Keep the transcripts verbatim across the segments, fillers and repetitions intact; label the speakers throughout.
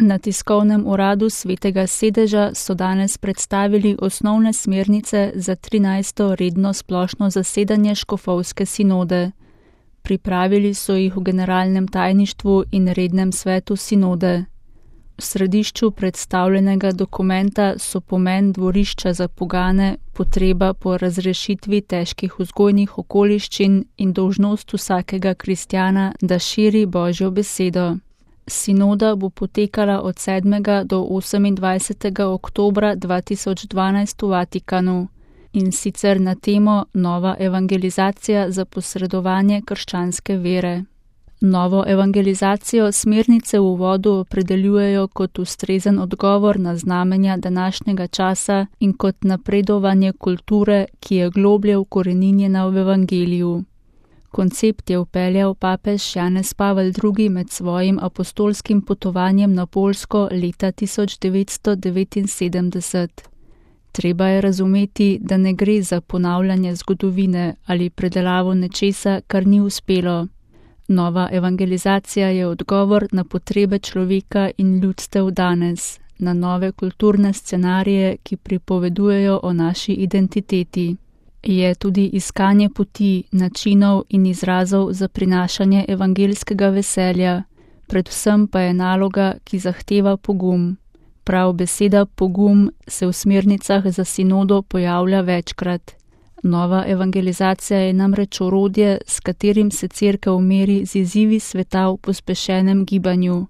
Speaker 1: Na tiskovnem uradu Svetega sedeža so danes predstavili osnovne smernice za trinajsto redno splošno zasedanje škofovske sinode. Pripravili so jih v generalnem tajništvu in rednem svetu sinode. V središču predstavljenega dokumenta so pomen dvorišča za pogane, potreba po razrešitvi težkih vzgojnih okoliščin in dolžnost vsakega kristjana, da širi Božjo besedo. Sinoda bo potekala od sedmega do osemindvajsetega oktobra dva tisoč dvanajst v Vatikanu, in sicer na temo Nova evangelizacija za posredovanje krščanske vere. Novo evangelizacijo smernice v uvodu opredeljujejo kot ustrezen odgovor na znamenja današnjega časa in kot napredovanje kulture, ki je globlje ukoreninjena v evangeliju. Koncept je vpeljal papež Janez Pavel drugi med svojim apostolskim potovanjem na Poljsko leta tisoč devetsto devetinsedemdeset. Treba je razumeti, da ne gre za ponavljanje zgodovine ali predelavo nečesa, kar ni uspelo. Nova evangelizacija je odgovor na potrebe človeka in ljudstev danes, na nove kulturne scenarije, ki pripovedujejo o naši identiteti. Je tudi iskanje poti, načinov in izrazov za prinašanje evangeljskega veselja, predvsem pa je naloga, ki zahteva pogum. Prav beseda pogum se v smernicah za sinodo pojavlja večkrat. Nova evangelizacija je namreč orodje, s katerim se Cerkev meri z izzivi sveta v pospešenem gibanju.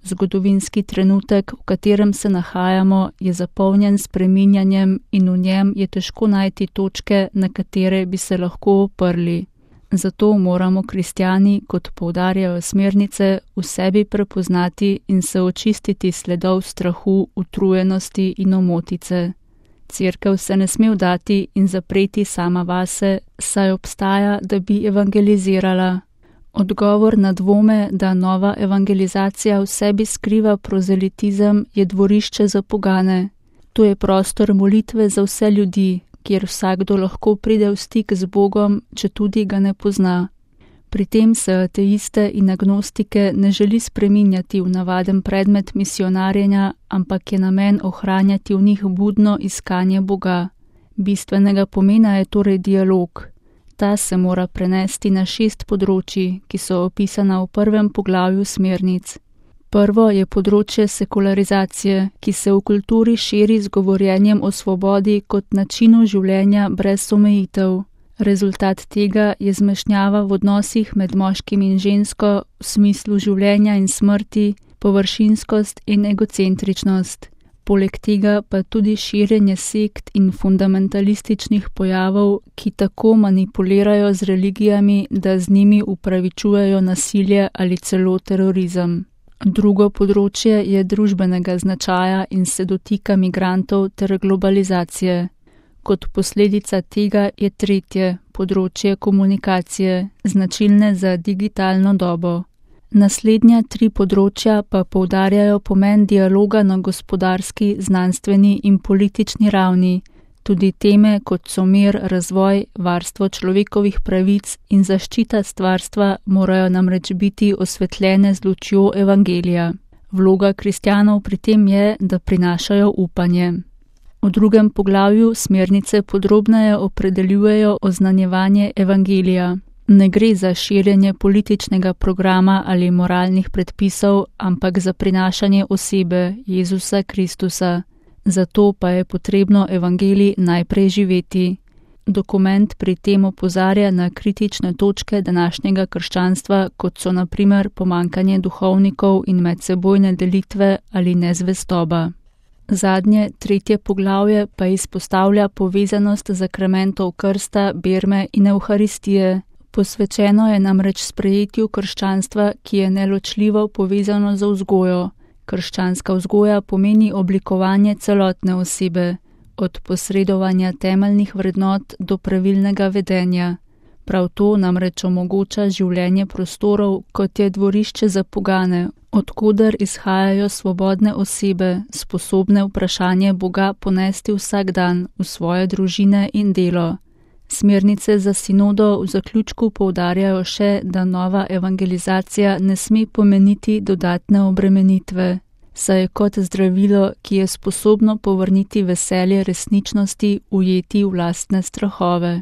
Speaker 1: Zgodovinski trenutek, v katerem se nahajamo, je zapolnjen s spreminjanjem in v njem je težko najti točke, na katere bi se lahko oprli. Zato moramo kristjani, kot poudarjajo smernice, v sebi prepoznati in se očistiti sledov strahu, utrujenosti in omotice. Cerkev se ne sme vdati in zapreti sama vase, saj obstaja, da bi evangelizirala. Odgovor na dvome, da nova evangelizacija v sebi skriva prozelitizem, je dvorišče za pogane. To je prostor molitve za vse ljudi, kjer vsakdo lahko pride v stik z Bogom, če tudi ga ne pozna. Pri tem se ateiste in agnostike ne želi spreminjati v navaden predmet misionarjenja, ampak je namen ohranjati v njih budno iskanje Boga. Bistvenega pomena je torej dialog. Ta se mora prenesti na šest področji, ki so opisana v prvem poglavju smernic. Prvo je področje sekularizacije, ki se v kulturi širi z govorjenjem o svobodi kot načinu življenja brez omejitev. Rezultat tega je zmešnjava v odnosih med moškim in žensko v smislu življenja in smrti, površinskost in egocentričnost. Poleg tega pa tudi širjenje sekt in fundamentalističnih pojavov, ki tako manipulirajo z religijami, da z njimi upravičujejo nasilje ali celo terorizem. Drugo področje je družbenega značaja in se dotika migrantov ter globalizacije. Kot posledica tega je tretje področje komunikacije, značilne za digitalno dobo. Naslednja tri področja pa poudarjajo pomen dialoga na gospodarski, znanstveni in politični ravni. Tudi teme, kot so mir, razvoj, varstvo človekovih pravic in zaščita stvarstva, morajo namreč biti osvetljene z lučjo evangelija. Vloga kristjanov pri tem je, da prinašajo upanje. V drugem poglavju smernice podrobneje opredeljujejo oznanjevanje evangelija. Ne gre za širjenje političnega programa ali moralnih predpisov, ampak za prinašanje osebe Jezusa Kristusa. Zato pa je potrebno evangelij najprej živeti. Dokument pri tem opozarja na kritične točke današnjega krščanstva, kot so na primer pomanjkanje duhovnikov in medsebojne delitve ali nezvestoba. Zadnje, tretje poglavje pa izpostavlja povezanost zakramentov krsta, berme in evharistije. Posvečeno je namreč sprejetju krščanstva, ki je neločljivo povezano z vzgojo. Krščanska vzgoja pomeni oblikovanje celotne osebe, od posredovanja temeljnih vrednot do pravilnega vedenja. Prav to namreč omogoča življenje prostorov, kot je dvorišče za pogane, odkoder izhajajo svobodne osebe, sposobne vprašanje Boga ponesti vsak dan v svoje družine in delo. Smernice za sinodo v zaključku poudarjajo še, da nova evangelizacija ne sme pomeniti dodatne obremenitve. saj je kot zdravilo, ki je sposobno povrniti veselje resničnosti, ujeti v lastne strahove.